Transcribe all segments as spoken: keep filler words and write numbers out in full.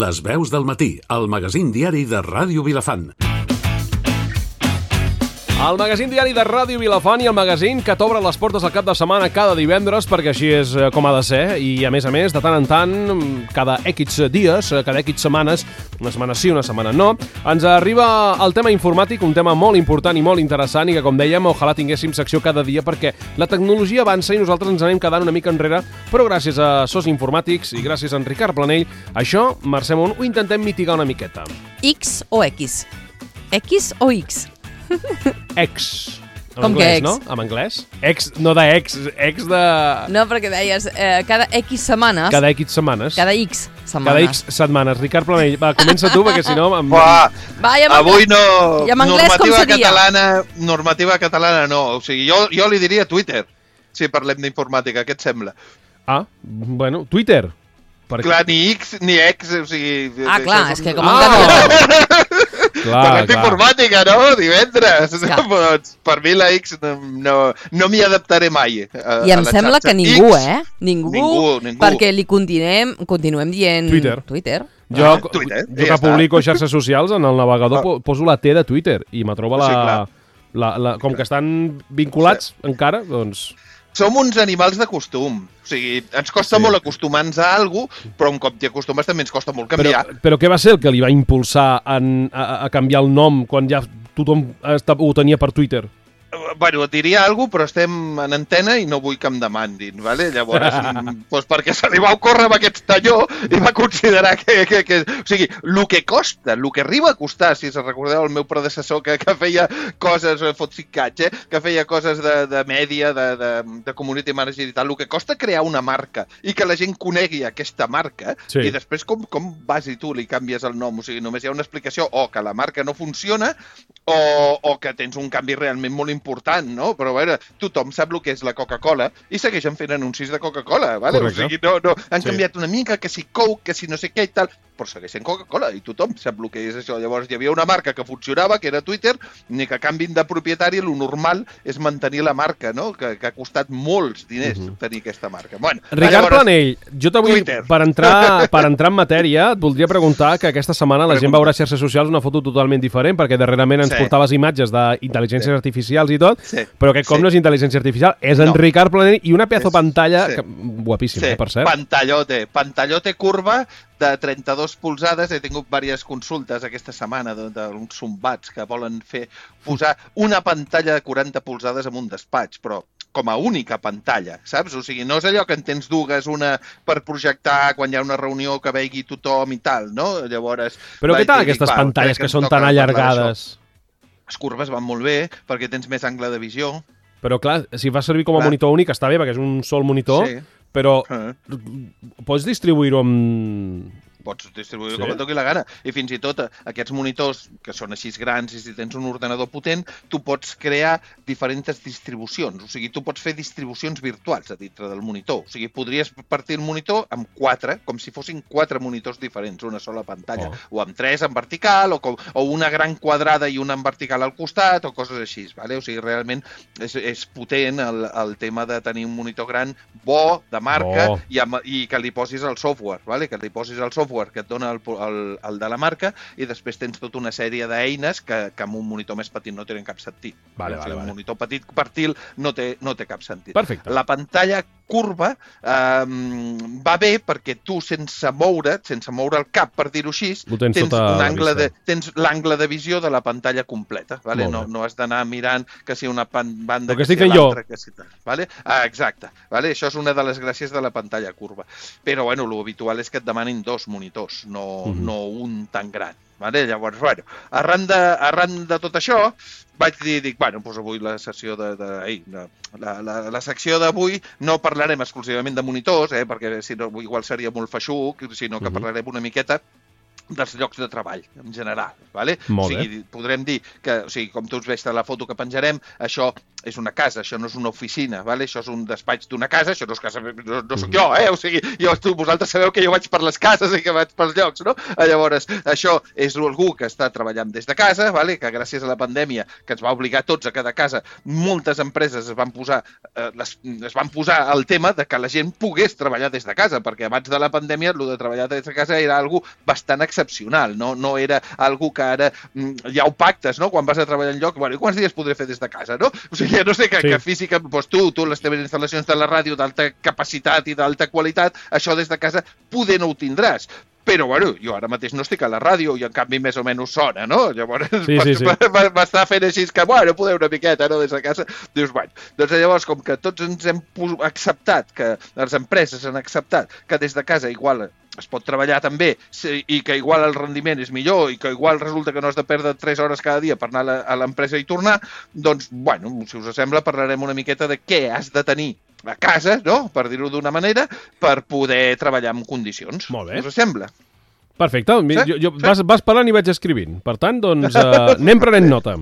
Les veus del matí, el magazín diari de Ràdio Vilafant. El magazín diari de Ràdio Vilafant i el magazín que t'obre les portes al cap de setmana cada divendres, perquè així és com ha de ser, i a més a més, de tant en tant, cada X dies, cada X setmanes, una setmana sí, una setmana no, ens arriba el tema informàtic, un tema molt important i molt interessant i que, com dèiem, ojalà tinguéssim secció cada dia perquè la tecnologia avança i nosaltres ens anem quedant una mica enrere, però gràcies a Sos Informàtics i gràcies a en Ricard Planell, això, Mercè Munt, ho intentem mitigar una miqueta. X o X? X o X? Ex. En Com anglès, que ex? no? En anglès? Ex, no de ex, ex de... No, perquè deies eh, cada X setmanes... Cada X setmanes. Cada X setmanes. Cada X setmanes. Ricard Planell, va, comença tu, perquè si no... Em... Buah, Va, ja avui no... I en anglès com normativa seria? catalana, normativa catalana no. O sigui, jo, jo li diria Twitter, si parlem d'informàtica. Què et sembla? Ah, bueno, Twitter. Per... Clar, ni X ni X, o sigui... Ah, clar, és que com Ah! han canviat... Clar, Parlem clar. d'informàtica, no? Divendres. Clar. Doncs, per mi la X no, no, no m'hi adaptaré mai. A, I em a la sembla xarxa. que ningú, X, eh? Ningú, Ningú, ningú. perquè li continuem, continuem dient... Twitter. Twitter. Jo, Ah, Twitter, jo ja que està. publico xarxes socials, en el navegador po- poso la T de Twitter i me troba la... Sí, clar. la, la com que estan vinculats encara, doncs... Som uns animals de costum. O sigui, ens costa Sí. molt acostumar-nos a alguna cosa, però un cop t'hi acostumes també ens costa molt Però, canviar. però què va ser el que li va impulsar en, a, a canviar el nom quan ja tothom esta- ho tenia per Twitter? Bueno, et diria alguna cosa, però estem en antena i no vull que em demandin, ¿vale? Llavors, mm, doncs perquè se li va ocórrer amb aquest talló i va considerar que... que, que o sigui, el que costa, el que arriba a costar, si se recordeu el meu predecessor que, que feia coses, fot ficatge, eh? que feia coses de, de mèdia, de, de, de community manager i tal, el que costa crear una marca i que la gent conegui aquesta marca, Sí. i després com, com vas i tu li canvies el nom, o sigui, només hi ha una explicació o que la marca no funciona o, o que tens un canvi realment molt important, no? Però a veure, tothom sap el que és la Coca-Cola i segueixen fent anuncis de Coca-Cola, ¿vale? Correcte. O sigui, no, no, han Sí. canviat una mica, que si Coke, que si no sé què i tal, però segueixen Coca-Cola i tothom sap el que és això. Llavors hi havia una marca que funcionava, que era Twitter, ni que canvin de propietari, el normal és mantenir la marca, no? Que, que ha costat molts diners uh -huh. tenir aquesta marca. Bueno, Ricard llavors, Planell, jo t'avui, Twitter. per entrar, per entrar en matèria, et voldria preguntar que aquesta setmana la gent Pregunta. veurà a xarxes socials una foto totalment diferent, perquè darrerament ens Sí. portaves imatges d'intel·ligències Sí. artificials i tot, Sí. però aquest cop Sí. no és intel·ligència artificial, és en No. Ricard Planell i una pedazo És- pantalla, sí. que, guapíssima, Sí, eh, per cert. pantallote, pantallote curva de trenta-dos polzades. He tingut diverses consultes aquesta setmana d'uns sombats que volen fer posar una pantalla de quaranta polzades en un despatx, però com a única pantalla, saps? O sigui, no és allò que en tens dues, una per projectar quan hi ha una reunió que vegi tothom i tal, no? Llavors... Però què vaig tal dir, aquestes va, pantalles crec que ens són toca tan parlar allargades? d'això. Les curves van molt bé perquè tens més angle de visió. Però clar, si fa servir com a Clar. monitor únic està bé, perquè és un sol monitor, Sí. però Eh. pots distribuir-ho amb... Pots distribuir Sí. sí. com et toqui la gana. I fins i tot eh, aquests monitors, que són així grans, i si tens un ordenador potent, tu pots crear diferents distribucions. O sigui, tu pots fer distribucions virtuals a dintre del monitor. O sigui, podries partir el monitor amb quatre, com si fossin quatre monitors diferents, una sola pantalla. Oh. O amb tres en vertical, o, com, o una gran quadrada i una en vertical al costat, o coses així. Vale? O sigui, realment és, és potent el, el tema de tenir un monitor gran bo, de marca, Bo. i, amb, i que li posis el software, vale? que li posis el software que et dona el, el, el de la marca, i després tens tota una sèrie d'eines que, que amb un monitor més petit no tenen cap sentit. Vale, o sigui, vale, vale. un monitor petit partil no té, no té cap sentit. Perfecte. La pantalla curva eh, va bé perquè tu, sense moure't, sense moure el cap, per dir-ho així, Ho tens tens sota un la angle vista. de, tens l'angle de visió de la pantalla completa. Vale? Molt No, bé. no has d'anar mirant que si una pan, banda, El que que estic si fent jo. l'altra, que si tal. Vale? Ah, exacte. Vale? Això és una de les gràcies de la pantalla curva. Però bueno, l'habitual és que et demanin dos monitors, no, Mhm. no un tan gran. Vale? Llavors, bueno, arran de, arran de tot això, vaig dir, dic, bueno, doncs avui la sessió de... de, ai, de la, la, la secció d'avui no parlarem exclusivament de monitors, eh, perquè si no, igual seria molt feixuc, sinó que Mhm. parlarem una miqueta dels llocs de treball, en general. Vale? Molt o sigui, podrem dir que, o sigui, com tu us veus a la foto que penjarem, això és una casa, això no és una oficina, vale? Això és un despatx d'una casa, això no és casa, no, no soc jo, eh? O sigui, jo, tu, vosaltres sabeu que jo vaig per les cases i que vaig pels llocs, no? Llavors, això és algú que està treballant des de casa, vale? Que gràcies a la pandèmia, que ens va obligar tots a quedar a casa, moltes empreses es van posar, eh, les, es van posar el tema de que la gent pogués treballar des de casa, perquè abans de la pandèmia, el de treballar des de casa era algo bastant excepcional, no, no era algo que ara mm, ja ho pactes, no? Quan vas a treballar en lloc, bueno, i quants dies podré fer des de casa, no? O sigui, no sé, que, sí. que física, doncs tu, tu, les teves instal·lacions de la ràdio d'alta capacitat i d'alta qualitat, això des de casa poder no ho tindràs. Però, bueno, jo ara mateix no estic a la ràdio i en canvi més o menys sona, no? Llavors, sí, sí, sí. m'està fent així que, bueno, poder una miqueta, no?, des de casa. Dius, bueno, doncs llavors, com que tots ens hem acceptat, que les empreses han acceptat que des de casa igual es pot treballar també i que igual el rendiment és millor i que igual resulta que no has de perdre tres hores cada dia per anar a l'empresa i tornar, doncs, bueno, si us sembla, parlarem una miqueta de què has de tenir a casa, no?, per dir-ho d'una manera, per poder treballar en condicions. Molt bé. Us sembla? Perfecte. Sí? Jo, jo, Sí? vas, vas parlant i vaig escrivint. Per tant, doncs, uh, anem prenent nota.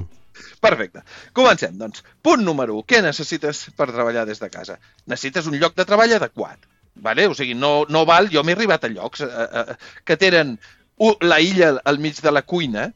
Perfecte. Comencem, doncs. Punt número u. Què necessites per treballar des de casa? Necessites un lloc de treball adequat. Vale? O sigui, no, no val... Jo m'he arribat a llocs eh, eh, que tenen la illa al mig de la cuina,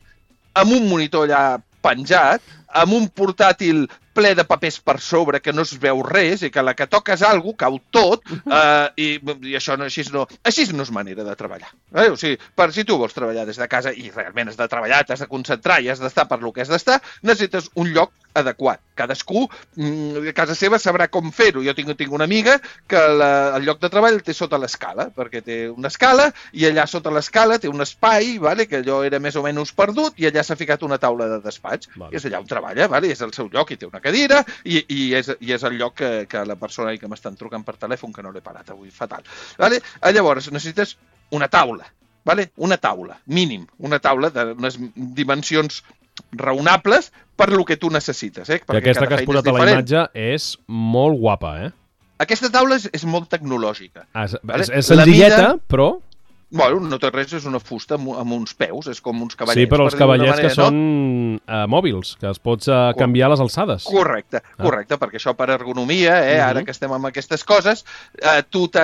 amb un monitor allà penjat, amb un portàtil ple de papers per sobre, que no es veu res, i que a la que toques alguna cosa cau tot, eh, i, i això no, així, no, així no és manera de treballar. Eh? O sigui, per si tu vols treballar des de casa i realment has de treballar, t'has de concentrar i has d'estar per lo que has d'estar, necessites un lloc adequat. Cadascú mm, a casa seva sabrà com fer-ho. Jo tinc, tinc una amiga que la, el lloc de treball el té sota l'escala, perquè té una escala i allà sota l'escala té un espai, vale, que allò era més o menys perdut, i allà s'ha ficat una taula de despatx. Vale. I és allà on treballa, vale? És el seu lloc i té una cadira i, i, és, i és el lloc que, que la persona que m'estan trucant per telèfon, que no l'he parat avui, fatal. Vale? Llavors necessites una taula, vale? Una taula, mínim, una taula d'unes dimensions raonables per lo que tu necessites. Eh? I aquesta que has posat a la imatge és molt guapa, eh? Aquesta taula és, és molt tecnològica. Ah, és, vale? és, és senzilleta, mida... però... Bueno, no té res, és una fusta amb, amb uns peus, és com uns cavallets. Sí, però els cavallets manera, que són no? uh, mòbils, que es pots uh, canviar les alçades. Correcte, correcte, ah. perquè això per ergonomia, eh, uh-huh. ara que estem amb aquestes coses, eh, tu que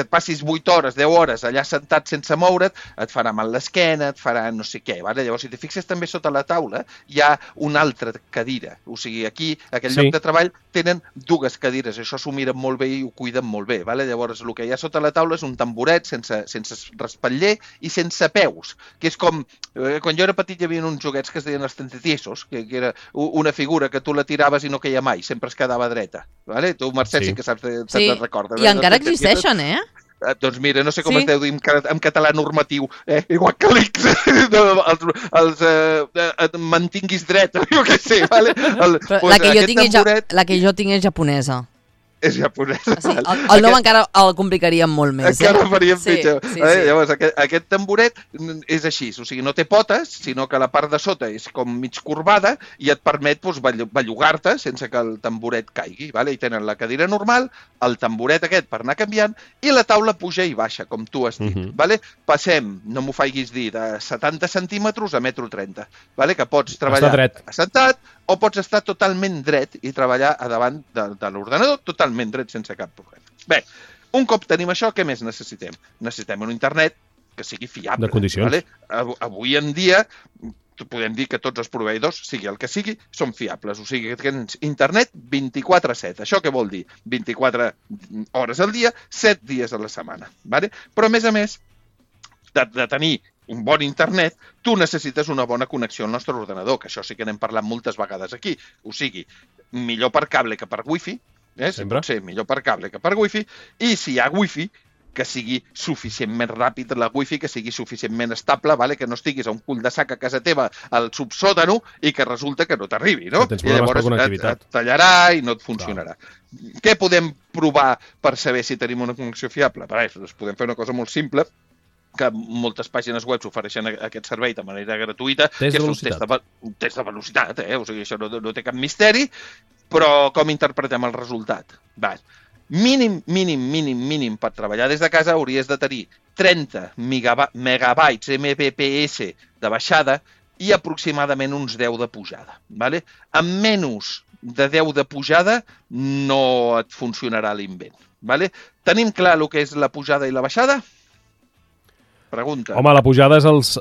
et passis vuit hores, deu hores allà sentat sense moure't, et farà mal l'esquena, et farà no sé què. Vale? Llavors, si te fixes també sota la taula, hi ha una altra cadira. O sigui, aquí, aquell sí. lloc de treball, tenen dues cadires. Això s'ho miren molt bé i ho cuiden molt bé. Vale? Llavors, el que hi ha sota la taula és un tamboret sense, sense respatller i sense peus, que és com... Eh, quan jo era petit hi havia uns joguets que es deien els tentetiesos, que, que era una figura que tu la tiraves i no queia mai, sempre es quedava dreta. Vale? Tu, Mercè, sí, sí que saps, te'n sí. recordes. I encara existeixen, eh? Eh, doncs mira, no sé com sí. es deu dir en, en català normatiu, eh? Igual que l'X, els, els eh, et mantinguis dret, jo què sé, vale? El, pues, la, que jo tinc tamboret... ja, la que jo tinc és japonesa. És japonesa. Sí, el, el nom aquest... encara el complicaríem molt més. Encara eh? faríem sí, pitjor. Sí, eh? sí. Llavors, aquest, aquest tamboret és així, o sigui, no té potes, sinó que la part de sota és com mig corbada i et permet doncs, bellugar-te sense que el tamboret caigui. Vale? I tenen la cadira normal, el tamboret aquest per anar canviant i la taula puja i baixa, com tu has dit. Uh-huh. Vale? Passem, no m'ho faiguis dir, de setanta centímetres a metro trenta. Vale? Que pots treballar assentat o pots estar totalment dret i treballar a davant de, de l'ordenador totalment dret sense cap problema. Bé, un cop tenim això, què més necessitem? Necessitem un internet que sigui fiable. De condicions. Vale? Avui en dia podem dir que tots els proveïdors, sigui el que sigui, són fiables. O sigui, que tens internet vint-i-quatre set. Això què vol dir? vint-i-quatre hores al dia, set dies a la setmana. Vale? Però, a més a més, de, de tenir un bon internet, tu necessites una bona connexió al nostre ordenador, que això sí que n'hem parlat moltes vegades aquí. O sigui, millor per cable que per wifi, eh? Si pot ser millor per cable que per wifi, i si hi ha wifi, que sigui suficientment ràpid la wifi, que sigui suficientment estable, vale? Que no estiguis a un cul de sac a casa teva al subsòtano i que resulta que no t'arribi, no? Que tens I problemes llavors per et, et tallarà i no et funcionarà. Clar. Què podem provar per saber si tenim una connexió fiable? Per això, podem fer una cosa molt simple, que moltes pàgines web ofereixen aquest servei de manera gratuïta, test que és un test de, un test de velocitat, eh? O sigui, això no, no té cap misteri, però com interpretem el resultat? Va. Mínim, mínim, mínim, mínim per treballar des de casa hauries de tenir trenta megabytes M B P S de baixada i aproximadament uns deu de pujada. Vale? Amb menys de deu de pujada no et funcionarà l'invent. Vale? Tenim clar el que és la pujada i la baixada? Pregunta. Home, la pujada és els...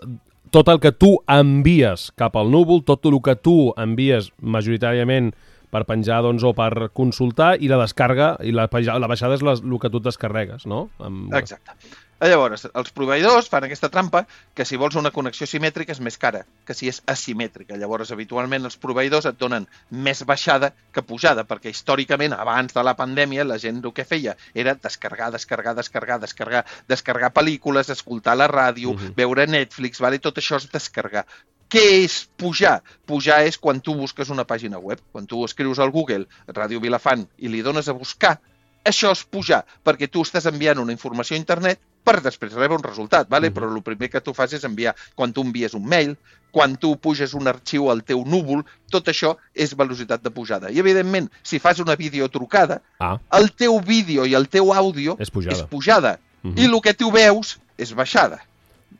tot el que tu envies cap al núvol, tot el que tu envies majoritàriament per penjar doncs, o per consultar, i la descarga, i la, la baixada és el que tu et descarregues, no? Amb... Exacte. Llavors, els proveïdors fan aquesta trampa que si vols una connexió simètrica és més cara que si és asimètrica. Llavors, habitualment, els proveïdors et donen més baixada que pujada, perquè històricament, abans de la pandèmia, la gent el que feia era descarregar, descarregar, descarregar, descarregar, descarregar pel·lícules, escoltar la ràdio, uh-huh. veure Netflix, vale? Tot això és descarregar. Què és pujar? Pujar és quan tu busques una pàgina web. Quan tu escrius al Google Ràdio Vilafant i li dones a buscar, això és pujar, perquè tu estàs enviant una informació a internet per després rebre un resultat, vale? Uh-huh. Però el primer que tu fas és enviar, quan tu envies un mail, quan tu puges un arxiu al teu núvol, tot això és velocitat de pujada. I, evidentment, si fas una videotrucada, ah. el teu vídeo i el teu àudio és pujada. És pujada. Uh-huh. I el que tu veus és baixada.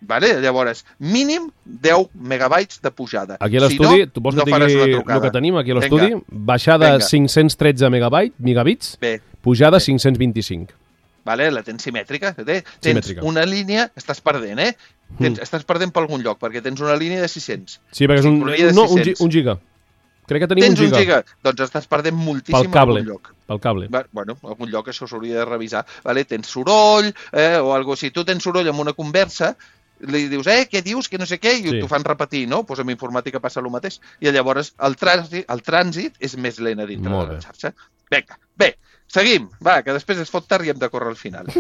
Vale? Llavors, mínim deu megabytes de pujada. Aquí a l'estudi, si no, tu vols no que tingui el que tenim aquí a l'estudi? Baixada Venga. cinc-cents tretze megabits, Bé. pujada Bé. cinc-cents vint-i-cinc. Vale? La tens simètrica. Tens simètrica. Una línia, estàs perdent, eh? Tens, mm. Estàs perdent per algun lloc, perquè tens una línia de sis-cents. Sí, perquè és un, no, un, un giga. Crec que tenim tens un giga. un giga. Doncs estàs perdent moltíssim per algun lloc. Pel cable. Bueno, en algun lloc això s'hauria de revisar. Vale? Tens soroll, eh? o algo. Si tu tens soroll en una conversa, li dius, eh, què dius, que no sé què, i sí. t'ho fan repetir, no? Doncs amb informàtica passa el mateix. I llavors el trànsit, el trànsit és més lent a dintre de la xarxa. Vinga, bé, seguim. Va, que després es fot tard i hem de córrer al final.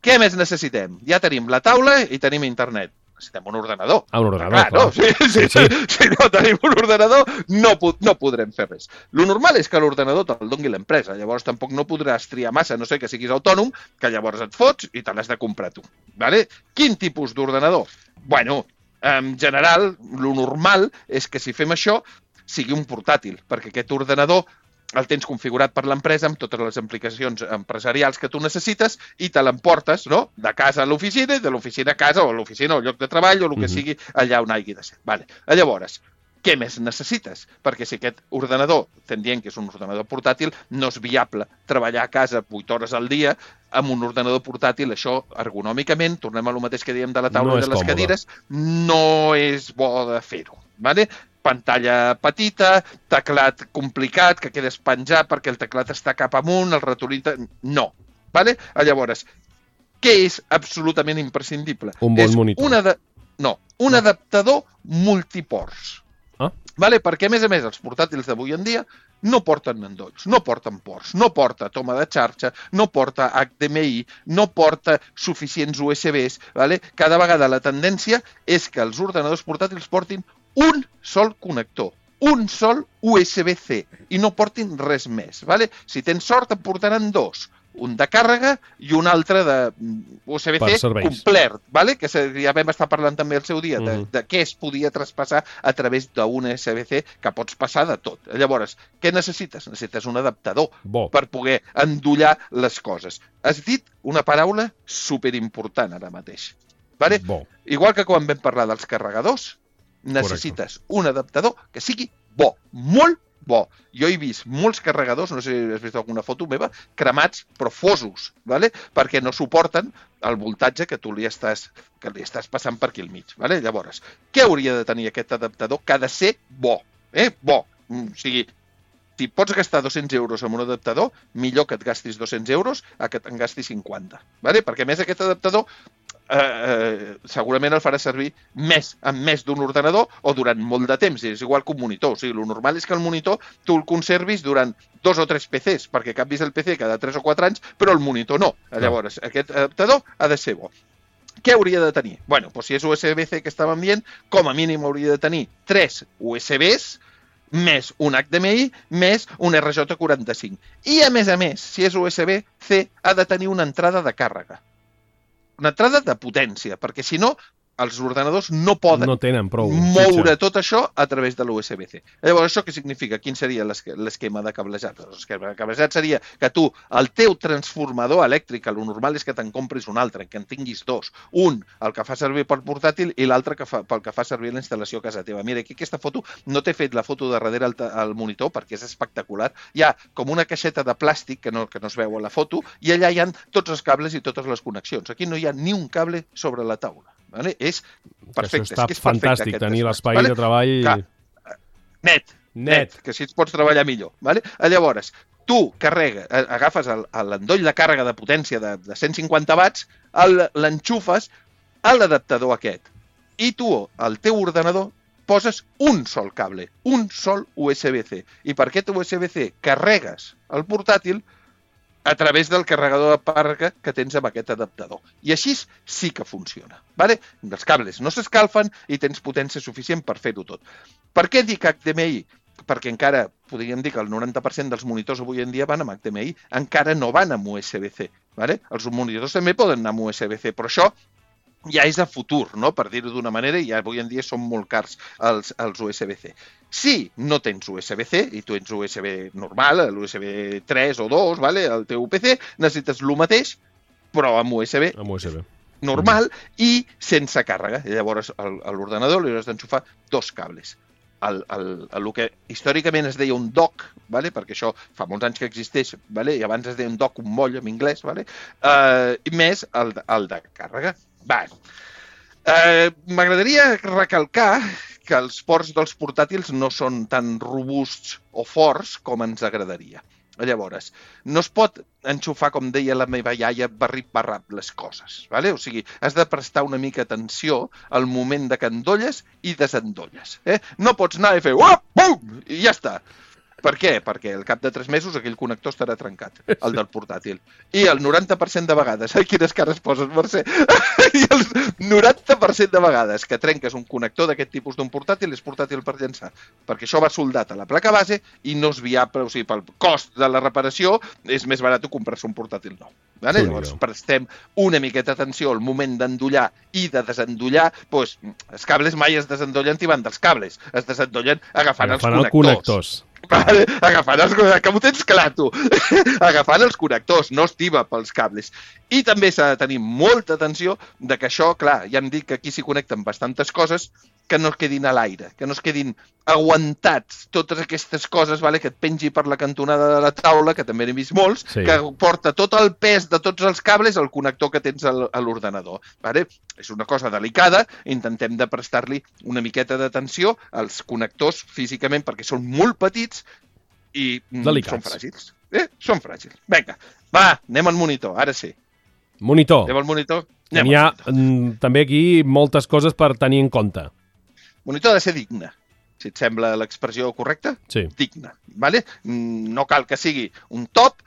Què més necessitem? Ja tenim la taula i tenim internet. Necessitem un ordenador. Ah, un ordenador, clar. No? Si, si, sí, sí. si no tenim un ordenador, no, no podrem fer res. Lo normal és que l'ordenador te'l doni l'empresa. Llavors tampoc no podràs triar massa, no sé, que siguis autònom, que llavors et fots i te l'has de comprar tu. Vale? Quin tipus d'ordenador? Bueno, en general, lo normal és que si fem això sigui un portàtil, perquè aquest ordenador el tens configurat per l'empresa amb totes les aplicacions empresarials que tu necessites i te l'emportes, no?, de casa a l'oficina, de l'oficina a casa, o a l'oficina o al lloc de treball, o el que mm-hmm. sigui allà on hagi de ser. Vale. Llavors, què més necessites? Perquè si aquest ordenador, estem dient que és un ordenador portàtil, no és viable treballar a casa vuit hores al dia amb un ordenador portàtil. Això, ergonòmicament, tornem a lo mateix que diem de la taula no i de les còmode. Cadires, no és bo de fer-ho. Vale? Pantalla petita, teclat complicat, que quedes penjat perquè el teclat està cap amunt, el ratolí... No. Vale? Llavors, què és absolutament imprescindible? Un bon és monitor. Una de... No, un no. adaptador multiports. Ah? Vale? Perquè, a més a més, els portàtils d'avui en dia no porten endolls, no porten ports, no porta toma de xarxa, no porta H D M I, no porta suficients U S Bs. Vale? Cada vegada la tendència és que els ordenadors portàtils portin un sol connector, un sol U S B C, i no portin res més. Vale? Si tens sort, et portaran dos. Un de càrrega i un altre de U S B C complet, vale? Que ja vam estar parlant també el seu dia, de, mm. de què es podia traspassar a través d'un U S B C, que pots passar de tot. Llavors, què necessites? Necessites un adaptador Bo. per poder endollar les coses. Has dit una paraula superimportant ara mateix. Vale? Bo. Igual que quan vam parlar dels carregadors, necessites Correcte. un adaptador que sigui bo, molt bo. Jo he vist molts carregadors, no sé si has vist alguna foto meva, cremats però fosos, ¿vale? Perquè no suporten el voltatge que tu li estàs, que li estàs passant per aquí al mig. ¿Vale? Llavors, què hauria de tenir aquest adaptador? Que ha de ser bo, eh? Bo. O sigui, si pots gastar dos-cents euros en un adaptador, millor que et gastis dos-cents euros a que te'n gastis cinquanta. ¿Vale? Perquè, a més, aquest adaptador eh, eh, segurament el farà servir més amb més d'un ordenador o durant molt de temps. És igual que un monitor. O sigui, el normal és que el monitor tu el conservis durant dos o tres P Cs, perquè canvis el P C cada tres o quatre anys, però el monitor no. Llavors, aquest adaptador ha de ser bo. Què hauria de tenir? Bueno, doncs si és U S B C que estàvem dient, com a mínim hauria de tenir tres U S Bs, més un H D M I, més un R J quaranta-cinc. I, a més a més, si és U S B C, ha de tenir una entrada de càrrega. Una entrada de potència, perquè si no, els ordenadors no poden no tenen prou moure xitxa. tot això a través de l'U S B C. Llavors, això què significa? Quin seria l'esquema de cablejat? L'esquema de cablejat seria que tu, el teu transformador elèctric, el normal és que te'n compris un altre, que en tinguis dos. Un, el que fa servir per portàtil, i l'altre que fa, pel que fa servir la instal·lació a casa teva. Mira, aquí aquesta foto, no t'he fet la foto de darrere al, al monitor perquè és espectacular. Hi ha com una caixeta de plàstic que no, que no es veu a la foto i allà hi ha tots els cables i totes les connexions. Aquí no hi ha ni un cable sobre la taula. Vale? És perfecte. Això està és que és fantàstic, perfecte, tenir despatx, l'espai vale? de treball... Que, net, net, net, que així et pots treballar millor. Vale? Llavors, tu carrega, agafes l'endoll de càrrega de potència de, de cent cinquanta watts, l'enxufes a l'adaptador aquest. I tu, al teu ordenador, poses un sol cable, un sol U S B C. I per aquest U S B C carregues el portàtil a través del carregador de càrrega que tens amb aquest adaptador. I així sí que funciona. Vale? Els cables no s'escalfen i tens potència suficient per fer-ho tot. Per què dic H D M I? Perquè encara podríem dir que el noranta per cent dels monitors avui en dia van amb H D M I, encara no van amb U S B C. Vale? Els monitors també poden anar amb U S B C, però això ja és a futur, no? Per dir-ho d'una manera, i avui en dia són molt cars els, els U S B C. Si no tens U S B C i tu ets U S B normal, l'U S B tres o dos, vale? El teu P C, necessites el mateix, però amb U S B, amb U S B normal mm. i sense càrrega. I llavors a l'ordenador li hauràs d'enxufar dos cables. El, el, el, el que històricament es deia un dock, vale? Perquè això fa molts anys que existeix, vale? I abans es deia un dock, un moll en anglès, vale? uh, i més el, el de càrrega. Va. Uh, M'agradaria recalcar que els ports dels portàtils no són tan robusts o forts com ens agradaria. Llavors, no es pot enxufar, com deia la meva iaia, barrip-barrap les coses. Vale? O sigui, has de prestar una mica atenció al moment de que endolles i desendolles. Eh? No pots anar i fer uop, bum, i ja està. Per què? Perquè al cap de tres mesos aquell connector estarà trencat, el del portàtil. I el noranta per cent de vegades, ai, quines cares poses, Mercè, i el noranta per cent de vegades que trenques un connector d'aquest tipus d'un portàtil és portàtil per llançar, perquè això va soldat a la placa base i no és viable, o sigui, pel cost de la reparació és més barat comprar-se un portàtil nou. Vale? Sí, llavors prestem una miqueta atenció al moment d'endollar i de desendollar, doncs els cables mai es desendollen tibant dels cables, es desendollen agafant, agafant els connectors. Vale? Agafant els connectors, que m'ho tens clar, tu. Agafant els connectors, no es tiba pels cables. I també s'ha de tenir molta atenció de que això, clar, ja em dic que aquí s'hi connecten bastantes coses que no es quedin a l'aire, que no es quedin aguantats totes aquestes coses, vale, que et pengi per la cantonada de la taula, que també n'he vist molts, sí. Que porta tot el pes de tots els cables al connector que tens a l'ordenador. Vale? És una cosa delicada, intentem de prestar-li una miqueta d'atenció als connectors físicament perquè són molt petits i delicats. Són fràgils. Eh? Són fràgils. Vinga, va, anem al monitor, ara sí. Monitor. Anem al monitor. Anem Hi ha monitor. També aquí moltes coses per tenir en compte. Monitor ha de ser digne, si et sembla l'expressió correcta, sí. Digne. Vale? No cal que sigui un top,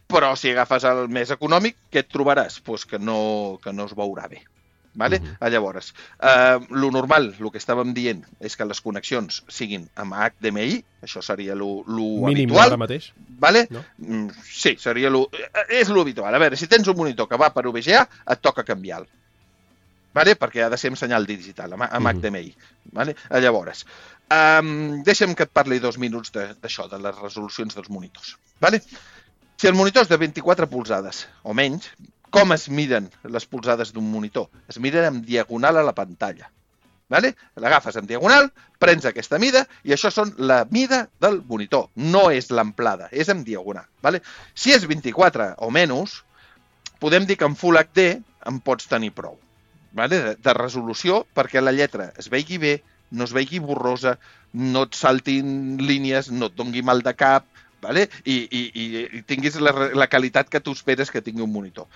però si agafes el més econòmic, què et trobaràs? Pues que, no, que no es veurà bé. Vale? Uh -huh. Llavors, eh, lo normal, el que estàvem dient, és que les connexions siguin amb H D M I, això seria lo, lo mínim habitual. Ara mateix? Vale? No? Mm, sí, seria lo, és lo habitual. A veure, si tens un monitor que va per U V G A, et toca canviar-lo. Vale? Perquè ha de ser amb senyal digital, amb, amb uh -huh. H D M I. Vale? Llavors, um, deixa'm que et parli dos minuts d'això, de, de les resolucions dels monitors. Vale? Si el monitor és de vint-i-quatre polzades o menys, com es miren les polzades d'un monitor? Es miren en diagonal a la pantalla. Vale? L'agafes en diagonal, prens aquesta mida i això són la mida del monitor. No és l'amplada, és en diagonal. Vale? Si és vint-i-quatre o menys, podem dir que en Full H D en pots tenir prou. Vale? De, de resolució perquè la lletra es vegi bé, no es vegi borrosa, no et saltin línies, no et dongui mal de cap, vale? I, i, i tinguis la, la qualitat que tu esperes que tingui un monitor.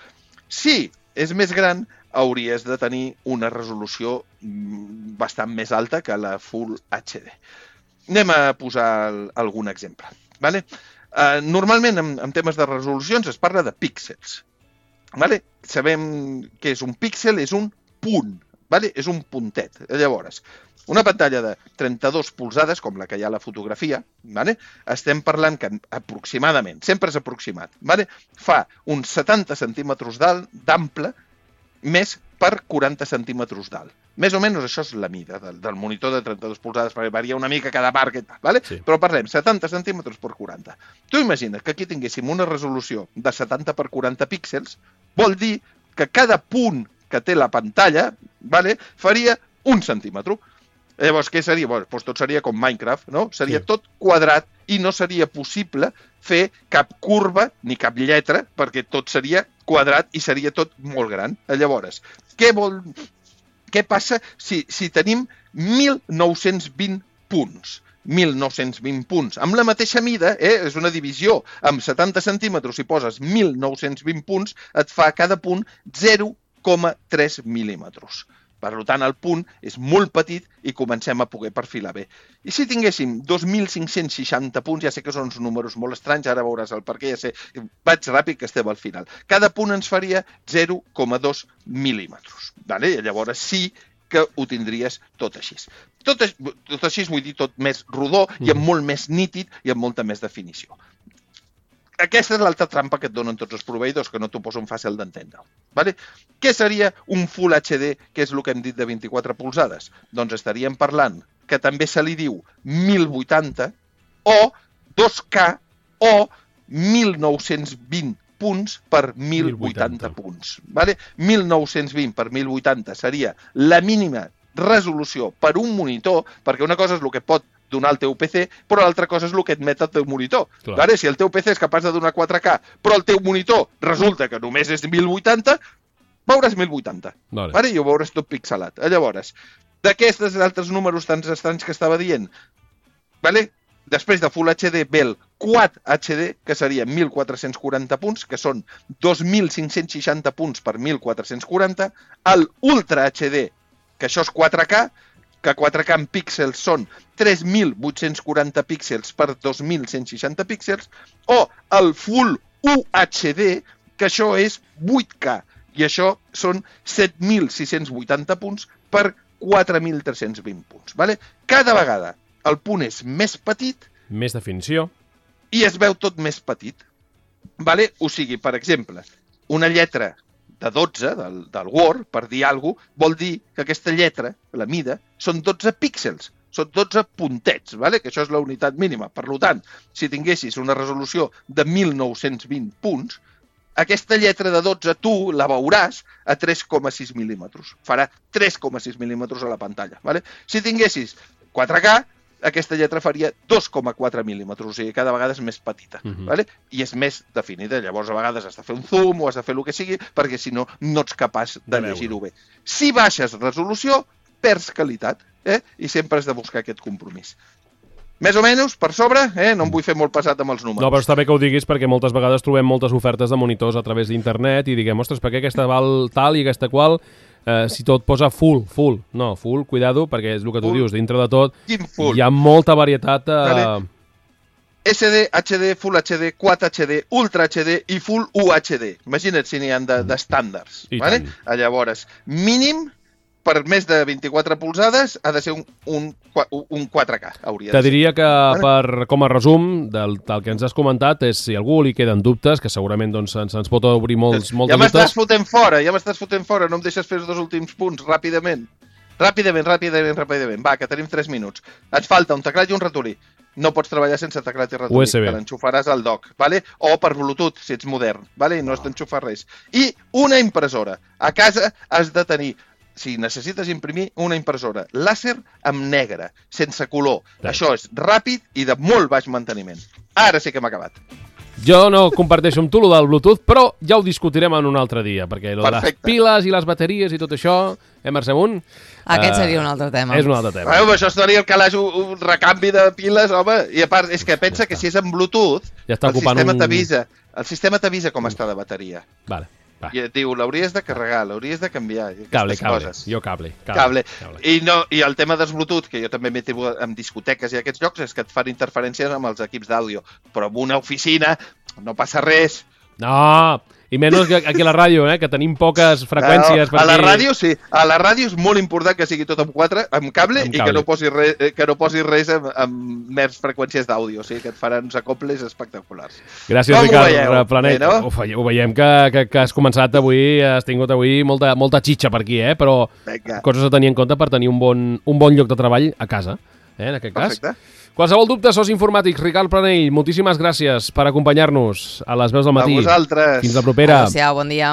Si és més gran, hauries de tenir una resolució bastant més alta que la Full H D. Anem a posar algun exemple. Vale? Uh, normalment, en, en temes de resolucions, es parla de píxels. Vale? Sabem que és un píxel, és un punt, vale? És un puntet. Llavors, una pantalla de trenta-dos polzades, com la que hi ha a la fotografia, vale? Estem parlant que aproximadament, sempre és aproximat, vale? Fa uns setanta centímetres d'ample més per quaranta centímetres d'alt. Més o menys això és la mida del, del monitor de trenta-dues polzades, perquè varia una mica cada marca i tal, ¿vale? Sí. Però parlem, setanta centímetres per quaranta. Tu imagina't que aquí tinguéssim una resolució de setanta per quaranta píxels, vol dir que cada punt que té la pantalla, ¿vale?, faria un centímetre. Llavors, què seria? Bueno, doncs tot seria com Minecraft, no? Seria Sí. tot quadrat i no seria possible fer cap curva ni cap lletra, perquè tot seria quadrat i seria tot molt gran. Llavors, què vol... Què passa si, si tenim mil nou-cents vint punts? mil nou-cents vint punts. Amb la mateixa mida, eh, és una divisió. Amb setanta centímetres, si poses mil nou-cents vint punts, et fa cada punt zero coma tres mil·límetres. Per tant, el punt és molt petit i comencem a poder perfilar bé. I si tinguéssim dos mil cinc-cents seixanta punts, ja sé que són uns números molt estranys, ara veuràs el perquè, ja sé, vaig ràpid que estem al final. Cada punt ens faria zero coma dos mil·límetres. Vale? I llavors sí que ho tindries tot així. Tot, tot així vull dir tot més rodó i amb molt més nítid i amb molta més definició. Aquesta és l'altra trampa que et donen tots els proveïdors, que no t'ho posen fàcil d'entendre. Vale? Què seria un Full H D, que és el que hem dit de vint-i-quatre polzades? Doncs estaríem parlant que també se li diu mil vuitanta o dos K o mil nou-cents vint punts per mil vuitanta punts. Vale? mil nou-cents vint per mil vuitanta seria la mínima resolució per un monitor, perquè una cosa és el que pot donar el teu P C, però l'altra cosa és el que admet el teu monitor. Vale? Si el teu P C és capaç de donar quatre K, però el teu monitor resulta que només és mil vuitanta, veuràs mil vuitanta. Vale. Vale? I ho veuràs tot pixelat. Llavors, d'aquests altres números tan estranys que estava dient, vale? Després de Full H D ve el Quad H D, que seria mil quatre-cents quaranta punts, que són dos mil cinc-cents seixanta punts per mil quatre-cents quaranta, el Ultra H D, que això és quatre K, que quatre K en píxels són tres mil vuit-cents quaranta píxels per dos mil cent seixanta píxels, o el Full U H D, que això és vuit K, i això són set mil sis-cents vuitanta punts per quatre mil tres-cents vint punts. Vale? Cada vegada el punt és més petit, més definició, i es veu tot més petit. Vale? O sigui, per exemple, una lletra de dotze del, del Word, per dir alguna cosa, vol dir que aquesta lletra, la mida, són dotze píxels, són dotze puntets, vale? Que això és la unitat mínima. Per tant, si tinguessis una resolució de mil nou-cents vint punts, aquesta lletra de dotze tu la veuràs a tres coma sis mil·límetres. Farà tres coma sis mil·límetres a la pantalla. Vale? Si tinguessis quatre K, aquesta lletra faria dos coma quatre mil·límetres, o sigui, cada vegada és més petita, uh-huh. Vale? I és més definida. Llavors, a vegades has de fer un zoom o has de fer el que sigui, perquè si no, no ets capaç de, de llegir-ho bé. Si baixes resolució, perds qualitat, eh? I sempre has de buscar aquest compromís. Més o menys, per sobre, eh? No em vull fer molt pesat amb els números. No, però està bé que ho diguis, perquè moltes vegades trobem moltes ofertes de monitors a través d'internet i diguem, ostres, per què aquesta val tal i aquesta qual? Eh, si tot posa full, full. No, full, cuidado, perquè és el que tu full. Dius, dintre de tot hi ha molta varietat. Eh... Vale. S D, H D, Full H D, Quad H D, Ultra H D i Full U H D. Imagina't si n'hi ha d'estàndards. De, vale? Llavors, mínim per més de vint-i-quatre polzades ha de ser un, un, un quatre K. Hauria Te diria que, per, com a resum del, del que ens has comentat, és si a algú li queden dubtes, que segurament doncs, ens, ens pot obrir molts, molts ja dubtes. Ja m'estàs fotent fora, ja m'estàs fotent fora, no em deixes fer els dos últims punts, ràpidament. Ràpidament, ràpidament, ràpidament. Va, que tenim tres minuts. Et falta un teclat i un ratolí. No pots treballar sense teclat i ratolí, U S B. que l'enxufaràs al dock, vale? O per Bluetooth, si ets modern, vale? No has d'enxufar res. I una impressora. A casa has de tenir, si necessites imprimir, una impressora làser amb negre, sense color. Sí. Això és ràpid i de molt baix manteniment. Ara sí que hem acabat. Jo no comparteixo amb tu el del Bluetooth, però ja ho discutirem en un altre dia, perquè lo de les piles i les bateries i tot això, eh, Mercè Munt? Aquest seria un altre tema. És un altre tema. Bueno, això seria el calaix, un recanvi de piles, home, i a part, és que pensa que si és en Bluetooth, ja està el sistema un... t'avisa, el sistema t'avisa com està de bateria. Vale. Va. I et diu, l'hauries de carregar, l'hauries de canviar. Cable, cable. Coses. Jo cable. Cable. cable. cable. I, no, I el tema dels Bluetooth, que jo també m'he tingut en discoteques i aquests llocs, és que et fan interferències amb els equips d'àudio. Però en una oficina no passa res. No, I menys que aquí a la ràdio, eh, que tenim poques freqüències. No, a la ràdio sí, a la ràdio és molt important que sigui tot amb quatre, amb cable, amb i cable. que no posi res, que no posi res amb, amb mers freqüències d'àudio, o sigui que et faran uns acoples espectaculars. Gràcies, Com Ricard ho veieu? Planet. Bé, no? Ho, veiem, ho veiem que, que, que has començat avui, has tingut avui molta, molta xitxa per aquí, eh? Però Vinga. coses a tenir en compte per tenir un bon, un bon lloc de treball a casa, eh? En aquest cas. Perfecte. Qualsevol dubte, sos informàtics, Ricard Planell, moltíssimes gràcies per acompanyar-nos a les veus del matí. A vosaltres. Fins la propera. Adéu-siau, bon dia.